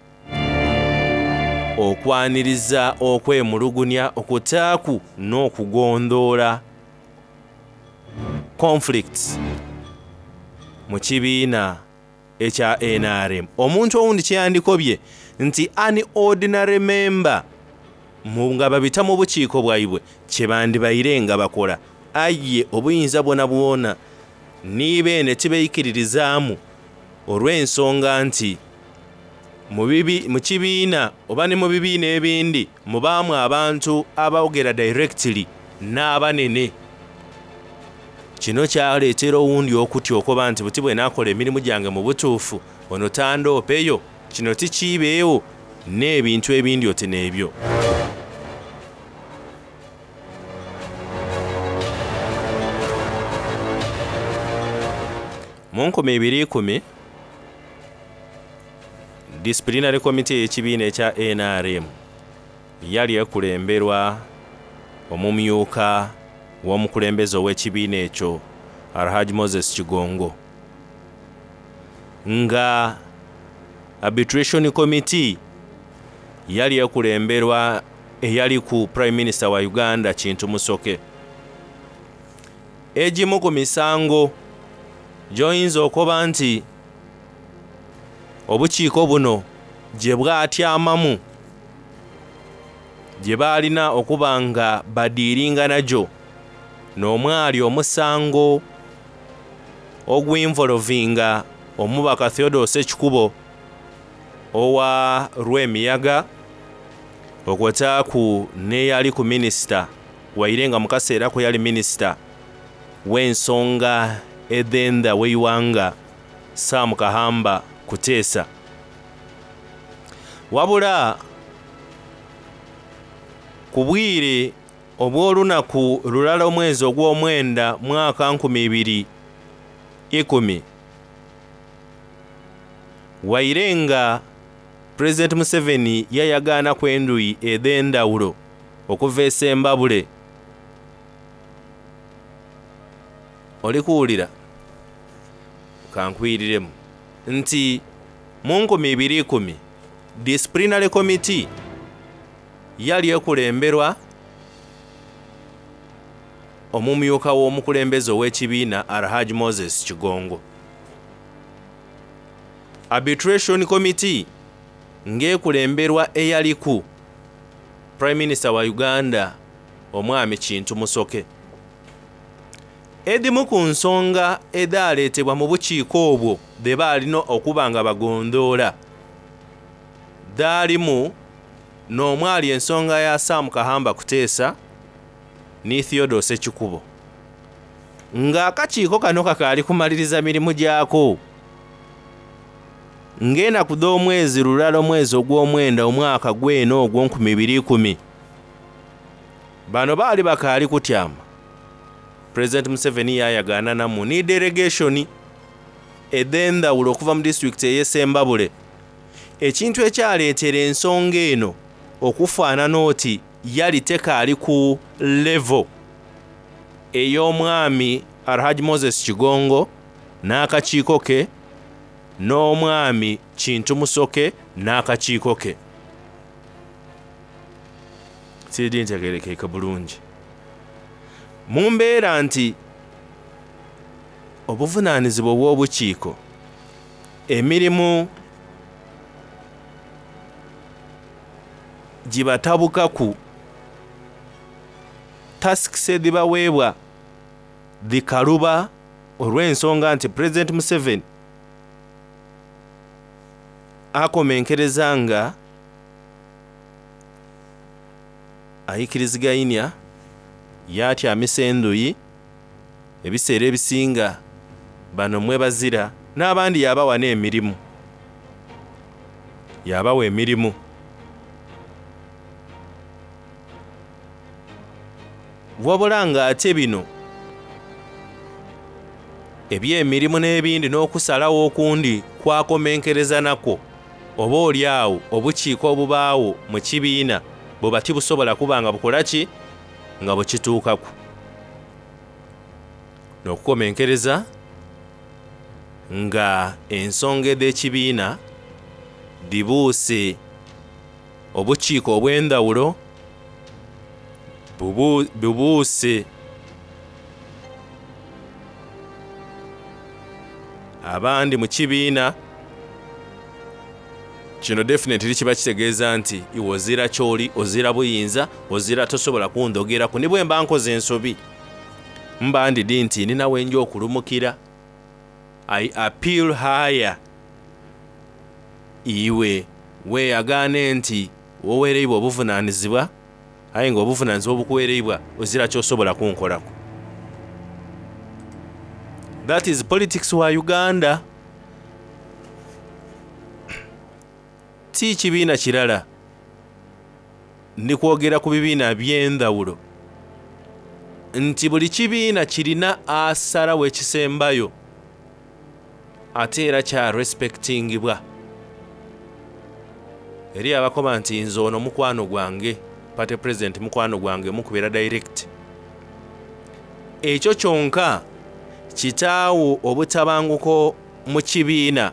okwaniriza okwemulugunya okutaaku n'okugondhoola conflicts mu kibiina ekya NRM. Omuntu owundi kyeyandikobye nti an ordinary member nga babita mu bukiiko bwaibwe kyebandibaire nga bakola, aye obuyinza bwona bwona ni beene tibeikiririzaamu olw'ensonga nti mu kibiina oba ni mu bibiina ebindi mubaamu abantu abawogera directly n'abanene. Kino kyaleetera owundi okutya okoba nti buti bwe naakola emirimu gyange mu butuufu ono tandoopeyo, kino tikiibeewo n'ebintu ebindi oti n'ebyo. Mu 2010 disciplinary committee ey'ekibiina ekya NRM yali ekulemberwa omumyuka w'omukulembeze ow'ekibiina ekyo Alhaji Moses Kigongo, nga arbitration committee yali ekulemberwa eyali ku Prime Minister wa Uganda Kintu Musoke. Egimu ku misango gy'oyinza okuba nti obukiiko buno gye bwatyamamu gye baalina okuba nga badiiringa nagyo. N'omwali omusango ogwinvolovinga omubaka Theodore Ssekikubo owa Lwemiyaga okwotaaku n'eyaliku minisita waire nga mu kaseera ako yali minisita w'ensonga edh'endha w'eighanga Sam Kahamba Kuteesa. Wabula ku bwire obw'olunaku lulala omwezi ogw'omwenda mwaka 2010, waire nga Pulezidenti Museveni yayagaanaku endhuyi edh'endhawulo okuva e Sembabule, oli kuwulira? Ka nkwiriremu nti mu 2010 Disciplinary Committee yali ekulemberwa omumyuka w'omukulembeze ow'ekibiina Alhaji Moses Kigongo. Arbitration Committee ng'ekulemberwa eyaliku Prime Minister wa Uganda omwami Kintu Musoke. Edhimu ku nsonga edhaleetebwa mu bukiiko obwo dhe baalina okuba nga bagondhoola dhaalimu n'omwali ensonga ya Sam Kahamba Kuteesa ni Theodore Ssekikubo. Ng'akakiiko kano kakaali kumaliriza mirimu gyako, ng'enaku dh'omwezi lulala omwezi ogw'omwenda omwaka gwene ogwo 2010, bano baali bakaali kutyama. Pulezidenti Museveni yaayagaananamu ni delegation edh'endhawulo okuva mu disitulikiti ey'e Sembabule, ekintu ekyaleetera ensonga eno okufaanana oti yali tekaali ku level ey'omwami Alhaji Moses Kigongo n'akakiiko ke n'omwami Kintu Musoke n'akakiiko ke. Siridi ntegeerekeke bulungi. Mu mbeera nti obuvunaanizibwa obw'obukiiko, emirimu gibatabukaku, tasks edhibaweebwa dhikaluba olw'ensonga nti Pulezidenti Museveni akomenkereza nga aikirizigainia yaatyamisa endhuyi ebiseera ebisinga bano mwe bazira n'abandi yaabawa n'emirimu. Yaabawa emirimu. Wabula nga ate bino eby'emirimu n'ebindi n'okusalawo okundi kwakomenkereza nakwo oba oli awo obukiiko obubaagho mu kibiina buba tibusobola kuba nga bukola ki nga bukituukaku. N'okukomenkereza nga ensonga edh'ekibiina dhibuuse obukiiko obw'endhawulo bubuuse abandi mu kibiina. Kino definitely kiba kitegeeza nti iwe ozira ky'oli, ozira buyinza, ozira tosobola kundhogeraku ni bwemba nkoze ensobi. Mba ndidhi nti nina wenja okulumukira. I appeal higher. Iwe weeyagaane nti wowereibwa obuvunaanizibwa, aye nga obuvunaanizibwa obukuwereibwa ozira ky'osobola kunkolaku. That is politics wa Uganda. Ti kibiina kirala, ndi kwogera ku bibiina by'endhawulo nti buli kibiina kirina asalawo ekisembayo ate era kya respectingibwa. Eriyo abakoba nti nze ono mukwano gwange, party president mukwano gwange, mukubira direct. Ekyo kyonka kitaawo obutabanguko mu kibiina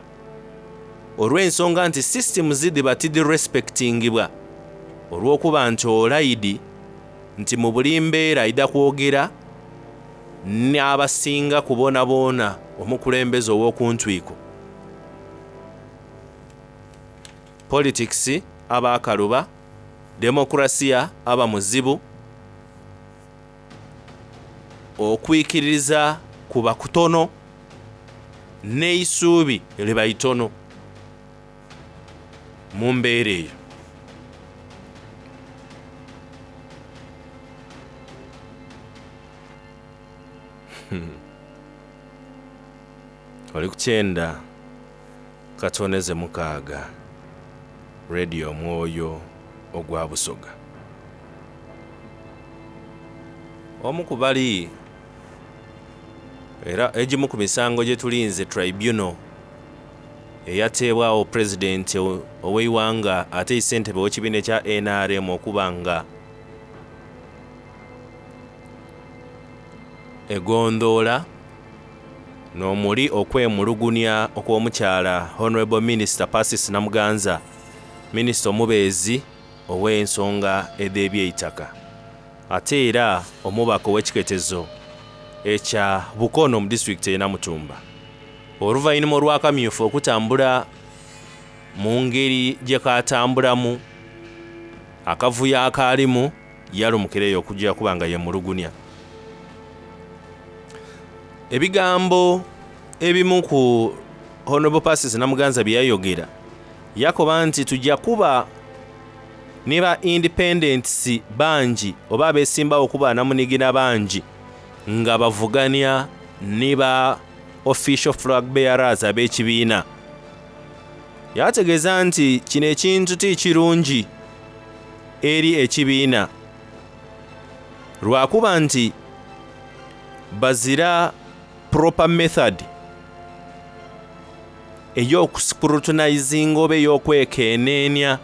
olw'ensonga nti systems dhiba tidhirespectingibwa olw'okuba nti olaidi nti mu buli mbeera aidha kwogera n'abasinga ku boonaboona omukulembeze ow'oku ntwiko. Politics aba akaluba, demokrasiya aba muzibu. Okwikiririza kuba kutono n'eisuubi liba itono mu mbeera eyo. Oli ku kyenda katoneze mukaaga Radio Omwoyo ogwa Busoga. Omu ku bali era egimu ku misango gye tulinze Tribunal eyateebwagho Pulezidenti ow'eighanga ate ssentebe ow'ekibiina ekya nrm okuba nga egondhoola n'omuli okwemulugunya okw'omukyala Honourable Minister Persis Namuganza, Minisita omubeezi ow'ensonga edh'ebyeitaka ate era omubaka ow'ekiketezo ekya Bukono mu disitulikiti ey'e Namutumba oluvainhuma olw'akamyufu okutambula mu ngeri gyekatambulamu akavuyo akaalimu yalumukireyo okugya okuba nga yemulugunya. Ebigambo ebimu ku Honourable Persis Namuganza byeyayogera yakoba nti tugya kuba ni ba independents bangi oba abesimbawo okuba namunigina bangi nga bavugania ni ba official flag bearers ab'ekibiina. Yategeeza nti kino ekintu ti kirungi eri ekibiina lwakuba nti bazira proper method ey'okuscrutinizinga oba ey'okwekeneenya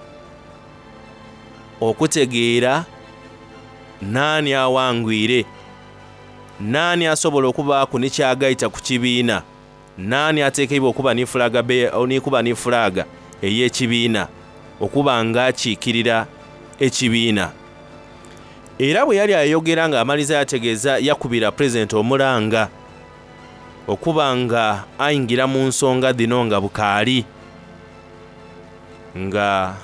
okutegeera naani awangwire, naani asobola okubaaku ni kyagaita ku kibiina, naani atekeibwa okuba ni flag ni kuba ni flag ey'ekibiina okuba nga akiikirira ekibiina. Era bwe yali ayogera ng'amaliza yategeeza yakubira Pulezidenti omulanga okuba nga aingira mu nsonga dhino nga bukaali nga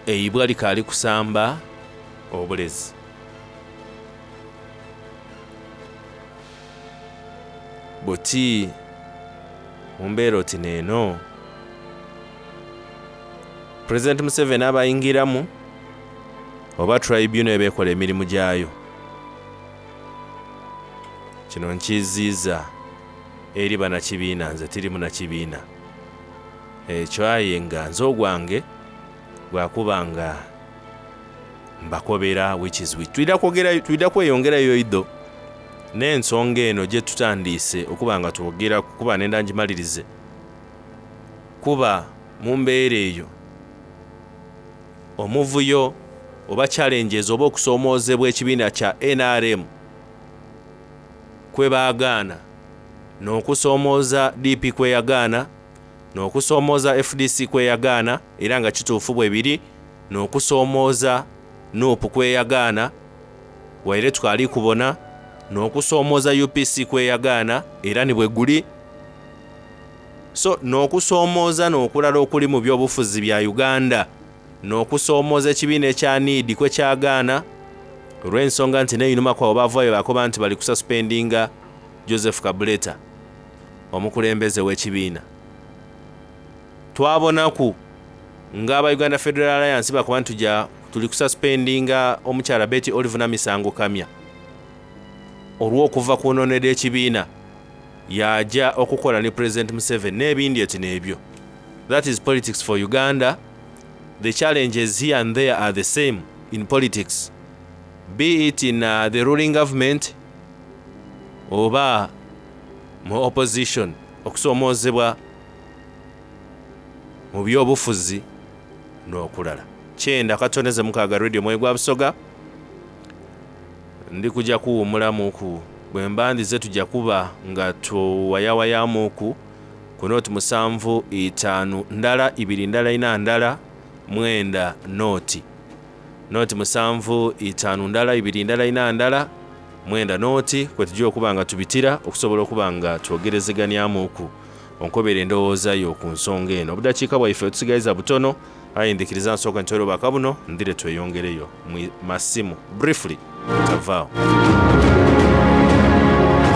eibwa likaali kusamba obulezi. Buti mu mbeera oti n'eno, Pulezidenti Museveni aba aingiramu oba tribunal eba ekola emirimu gyayo. Kino nkiiziiza eri banakibiina nze tiri munakibiina ekyo aye nga nze ogwange gwakuba nga mbakobera which is which. Twidha kwogera twidha kweyongerayo idho n'ensonga eno gye tutandiise okuba nga twogeraku kuba nenda ngimalirize kuba mu mbeera eyo omuvuyo oba challenges oba okusoomoozebwa ekibiina kya nrm kwe baagaana n'okusoomooza DP kweyagaana n'okusoomooza FDC kweyagaana era nga kituufu bwe biri n'okusoomooza NUP kweyagaana waire tukaali kubona n'okusoomooza UPC kweyagaana era ni bwe guli so n'okusoomooza n'okulala okuli mu byobufuzi bya Uganda n'okusoomooza ekibiina ekya NEED kwekyagaana olw'ensonga nti n'einhuma kwabo baavaayo bakoba nti bali kususpendinga Joseph Kabuleta omukulembeze w'ekibiina. Twabonaku nga aba Uganda Federal Alliance bakoba nti tuja tuli kususpendinga omukyala Betty Olive Namisango Kamya olw'okuva ku nnono edh'ekibiina yaja okukola ni President Museveni n'ebindi eti n'ebyo. That is politics for Uganda. The challenges here and there are the same in politics, be it in the ruling government oba mu opposition. Okusoomoozebwa mu byobufuzi n'okulala. 90.6 Radio Mwoyo gwa Busoga. Ndi kujja kuwummulamuku bwe mba ndize tujja kuba nga tuwayawayamuku ku nooti 7 5 ndala 2 ndala 4 ndala 9 nooti nooti 7 5 ndala 2 ndala 4 ndala 9 nooti kwe tujja okuba nga tubitira okusobola okuba nga twogerezeganyamuku onkobera endowooza yo ku nsonga eno. Obudakiika bwaife tusigaliza butono Aye ndhikiriza nsooke ntoire obubaka buno ndhire tweyongereyo mu masimu briefly mutavaagho.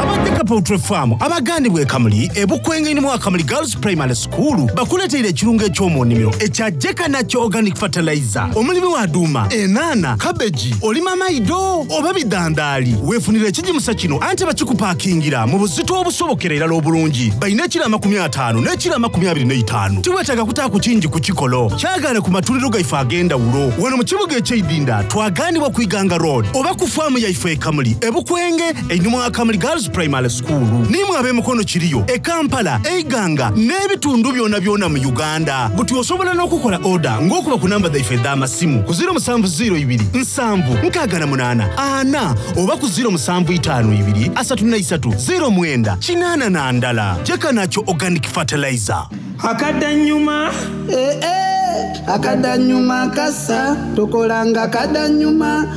Aba Dheka Poultry Farm abaghanibwa e Kamuli e Bukwenge ni mu Kamuli Girls Primary School bakuleteire ekirungo eky'omu nnimiro ekya Jeka Natural Organic Fertilizer. Omulimi wa duuma, enhanha, kabeji, olima maido oba bidhandhaali, weefunire ekigimusa kino ante bakikupakingira mu buzito obusobokera irala obulungi. Balina ekilo amakumi ataanu n'ekilo amakumi abiri n'eitaanu. Tiweetaaga kutaaku kingi ku kikolo. Kyagaane ku matundiro gaife ag'endhawulo wano mu kibuga eky'Eidinda twagaanibwa ku Iganga Road oba ku faamu yaife e Kamuli e Bukwenge einhuma wa Kamuli Girls Primary School. N'imwe ab'e Mukono kiriyo, e Kampala, e Iganga n'ebitundu byonabyona mu Uganda. Buti osobola n'okukola oda ng'okuba ku namba dhaife edh'amasimu ku ziiro musanvu ziiro ibiri nsanvu nkaaga na munaana ana oba ku ziiro musanvu itaanu ibiri asatu na isatu ziiro mwenda kinaana na ndala. Jeka Natural Organic Fertilizer. Akadanyuma. Eh, eh, akadanyuma kasa tokolanga kadanyuma.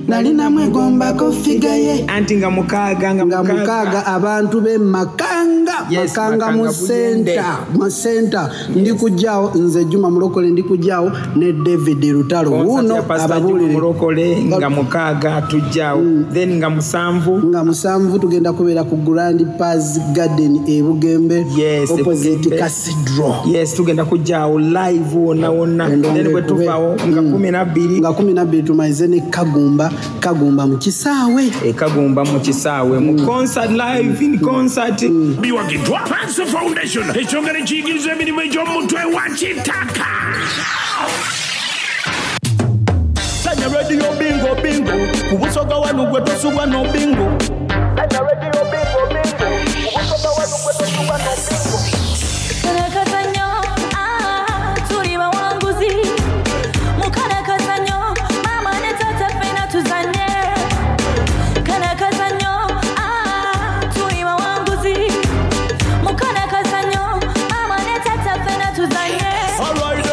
Nali namwegombako figa ye anti nga mukaaga nga mukaaga abantu be Makanga. Yes, Makanga mu Makanga Buyende. senta mu senta ndi kujjaawo nze Juma Mulokole ndi kujjaawo ne David Lutalo Concert wuuno ya Pastor Juma ababuulire Mulokole nga mukaaga tujjaawo then nga musanvu nga musanvu tugenda kubeera ku Grand Paz Garden e Bugembe Yes, opposite Bugembe. Cathedral. Yes, tugenda kujjaawo live wonna wonna then bwe tuvaawo nga 12 nga 12 tumalize ne Kagumba Kagumba mu kisaawe e Kagumba mu kisaawe mu concert live in concert. Biwagiddwa Panso Foundation ekyongera ekiyigiriza emirimu egy'omutwe wa kitaka. Sanya Radio Bingo Bingo ku Busoga wano gwe tosubwa no bingo. Sanya Radio Bingo Bingo ku Busoga wano gwe tosubwa no bingo. Kano ah, tuli bawanguzi. Mukana kazanyo, mama ne tata ffenna tuzanye. Kano kazanyo, ah, tuli bawanguzi. Mukana kazanyo, mama ne tata ffenna tuzanye. Alright,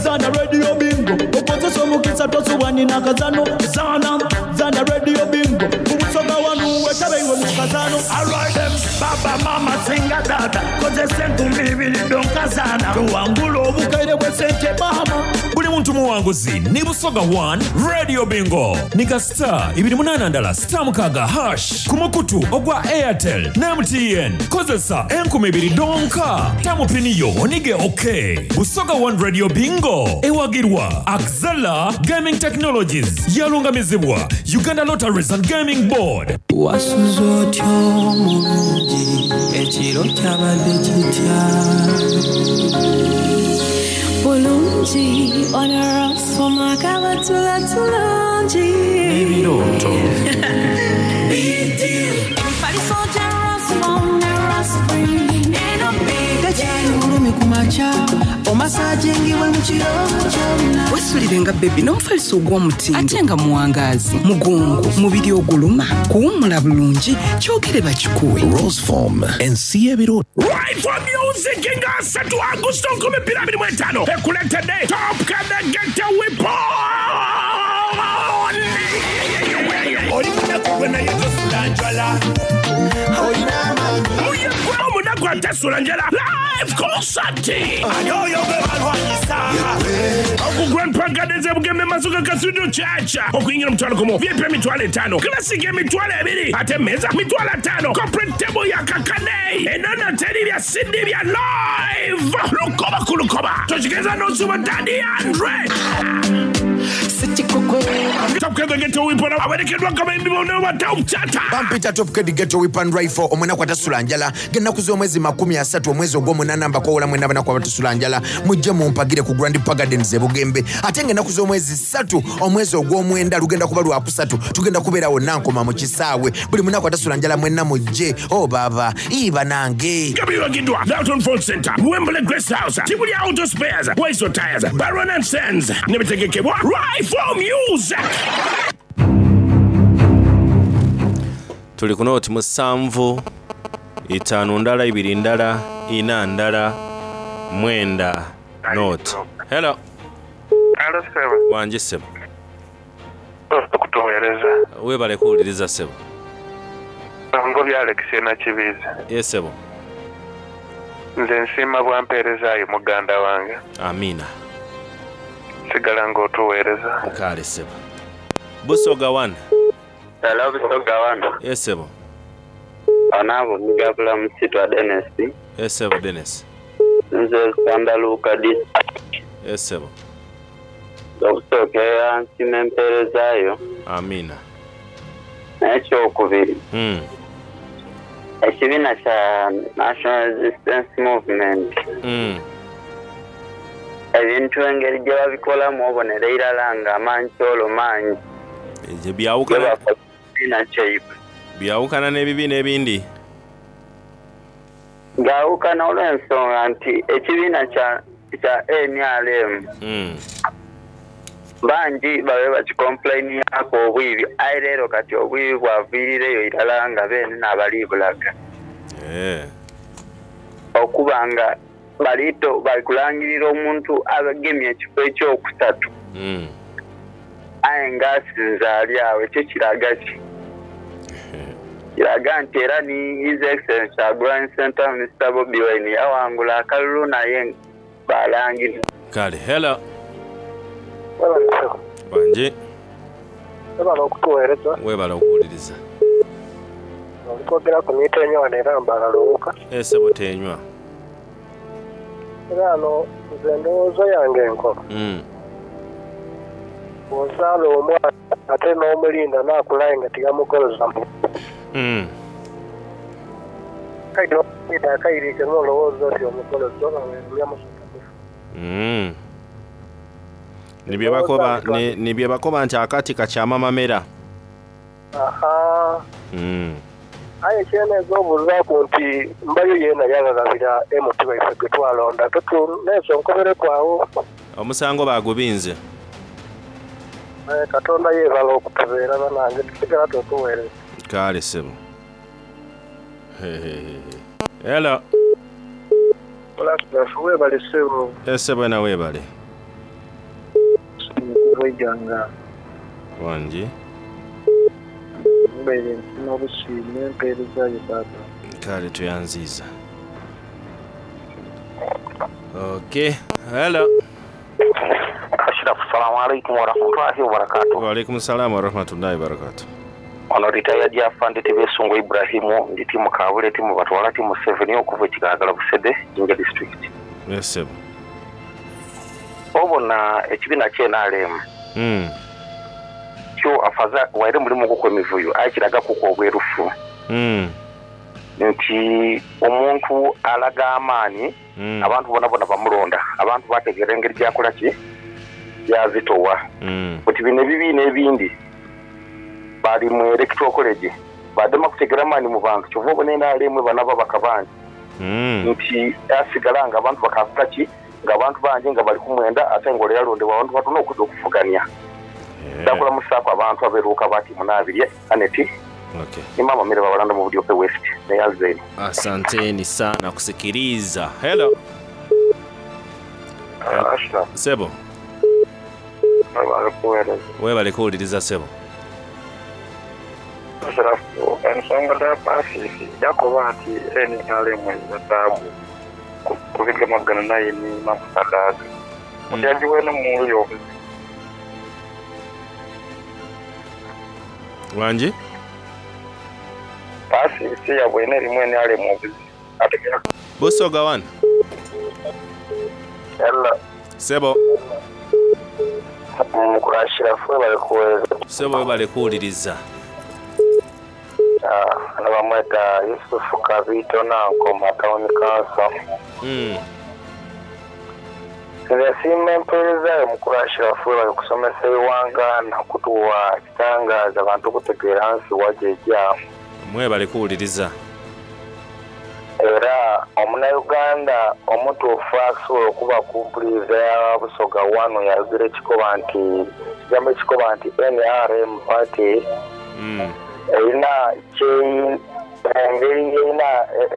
Zana Radio Bingo okozesa omukisa tosubwa nina kazano zana zana Radio Bingo ku Busoga wano wetabe iwe mu kazano. Alright, baba mama singa dada kozesa enkumbi ibiri donkazana tuwangula obukaire bw'esente bahama. Buli muntu muwanguzi ni Busoga 1 Radio Bingo nika star 28 ndala star mukaaga hash ku mukutu ogwa Airtel ne MTN kozesa enkumi ibiri donka tamupiniyo onige ok Busoga 1 Radio Bingo ewagirwa Axela Gaming Technologies yalungamizibwa Uganda Lotteries and Gaming Board. Wasuze otya omulungi ekiro kyabadde kitya Bulungi onarasoma kabatula tulungi. Ebirooto. Emifaliso gya Rasmom ne Raspring eno Tekyali bulumi ku makya omasajingibwe mu kiro kyonna Wesulire nga bebi n'omufaliso ogw'omutindo ate nga muwangaazi mugongo mubiri oguluma kuwummula bulungi kyogere bakikuwe. Roseform ensi y'ebirooto. Right for Music nga 3 Agusto 2025 ekuletedde Top Kadegete Weapon. Oli munaku gwe naye tosula njala. Muyegwe omunaku atasula njala live concert. Ani oyo gwe balwanyisa? Oku Grand Park Gardens e Bugembe Masuka Cathedral Church. Okuyingira omutwalo gumu, VIP emitwalo etaano, Classic emitwalo ebiri, ate emmeeza mitwalo ataano, corporate table ya kakane. Enono teri bya CD bya live. Lukoba ku lukoba. Tokigeza n'osuba Daddy Andre. Top Ked Ghetto Weapon awerekeddwa abayimbi bonna ba Top Chata. Bampita Top Ked Ghetto Weapon Rifle omunaku atasula njala ng'ennaku z'omwezi 30 omwezi ogw'omunaana mbakoowola mwenna abanaku abatasula njala mujje mumpagire ku Grand Park Gardens e Bugembe ate ng'ennaku z'omwezi 3 omwezi ogw'omwenda lugenda kuba lwakusatu tugenda kubeera wonna nkoma mu kisaawe buli munaku atasula njala mwenna mujje o baaba iba nange. Nga biwagiddwa Dalton Phone Center, Wembley Grace House, Tibuli Auto Spares, Waiso Tires, Baron and Sons ne bitegekebwa Rifle Music. Tuli ku nooti musanvu itaanu ndala ibiri ndala ina ndala mwenda nooti. Hello. Alo ssebo. Wangi ssebo. Okutuweereza. Weebale kuwuliriza ssebo. Ngobya Alex Nakibiizi. Ye ssebo. Nze nsiima bwa mpeerezaayo muganda wange. Amiina. Sigala nga otuweereza. Kale ssebo. Busoga One. Hello, Busoga One. Yes ssebo. Onabo Mugabula Musitwa Dennis. Yes ssebo Dennis. Nze Sandaluka district. Yes ssebo. Okusookerera nsiima empeereza yo. Amiina. N'ekyokubiri, ekibiina kya National Resistance Movement ebintu engeri gye babikolamu obonera irala nga amankyolo mangi Ekyo byawukana gebakola mu kibiina kyaibwe. Byawukana n'ebibiina ebindi. Gaawukana olw'ensonga nti ekibiina kya kya nrm bangi babe bakikompulayiniaku obwibi aye leero kati obwibi bwaviirireyo irala nga beene n'abali bulaga. Okuba nga bali bali kulangirira omuntu agemye ekifo ekyokusatu aye nga asinze ali agho, ekyo kiraga ki? Kiraga nti era ni His Excellency Kyagulanyi Ssentamu Mister Bobi Wine yawangula akalulu naye balangirira. Kale, hello. Wangi. Webale okutuweereza. Webale okuwuliriza. Oli kwogeraku ni Teenywa wano era Mbarara Luuka. Eh ssebo Teenywa. Era ghano nze endowooza yange enkoba. Bw'ozaala omwana ate n'omulinda n'akula aye nga tiyamugoloza mu. Kale n'omulinda akairike n'olowooza oti omugoloza oba weerumya musota mufu. Ni bye bakoba, ni, ni bye bakoba nti akati kakyama mamera. Ahaa. Aye kyeneeza obuuzaaku nti mbayo yeena yaghaghabira MP waife gwe twalonda tutu neezo nkobereku agho. Omusango baagubinze. Aye Katonda yeebale okutubeera banange tusigala tukuweereza. Kale ssebo. Hehehehe. Hello. Olasirafu webale ssebo. Eh ssebo wena webale. Okuva Iganga. Wangi. Mbaire nsiima busiime empeereza yo baaba. Kale tweyanziiza. Okay. Hello. Ashirafu, salamu alaikum warahmatullahi wabarakatuh. Wa alaikum salam warahmatullahi wabarakatuh. Ono retired afande Tibesungu Ibrahimu, ndi timu Kabule, timu Batwala, timu 7 okuva e Kigagala Busede, Jinja district. Yes sebo. Obona ekibiina kye nrm kyo afaza waire mulimu guku emivuyo aye kiraga kuku obwerufu nti omuntu alaga amaani abantu bonabona bamulonda, abantu bategeera engeri gyakola ki gyazitowa. Buti bino ebibiina ebindi bali mu electoral college badema kutegera maani mu bantu kyova obona nrm eba nababaka bangi nti asigala nga abantu bakakola ki nga abantu bangi nga bali kumwenda ate nga ole yalondebwa abantu batono okwidha okuvugania. Ndakulamusaaku abantu abe Luuka ba tiimu Nabirye, Annet ni maama Mary Babalanda mu Budiope West neyanziza inho. Asanteni sana kusikiliza. Hello. Ashraf. Sebo. Webale kuwereza. Webale kuwuliriza sebo. Ashraf, ensonga dha Paasisi yakoba nti nrm ezira taabu ku bigemagana naye ni Mama Kadaga. Oti agiweene mu ndhu y'obuzibu. Wangi? Paasisi yabwene erimu nrm obuzibu. Ategera. Busoga one. Hello. Sebo. Mukulu Ashiraf webale kuwereza. Sebo webale kuwuliriza. Ano bamweta Yusufu Kabiito Nankoma Town Council. Nze nsiima empeereza yo Mukulu Ashiraf webale kusomesa eighanga na kutuwa kitangaaza bantu kutegeera nsi wa gyeja. Mwebale kuwuliriza. Era omunauganda omutuufu asobola okuba ku mpuliza ya Busoga One yayogera ekikoba nti ekigambo ekikoba nti nrm party erina kye engeri yerina.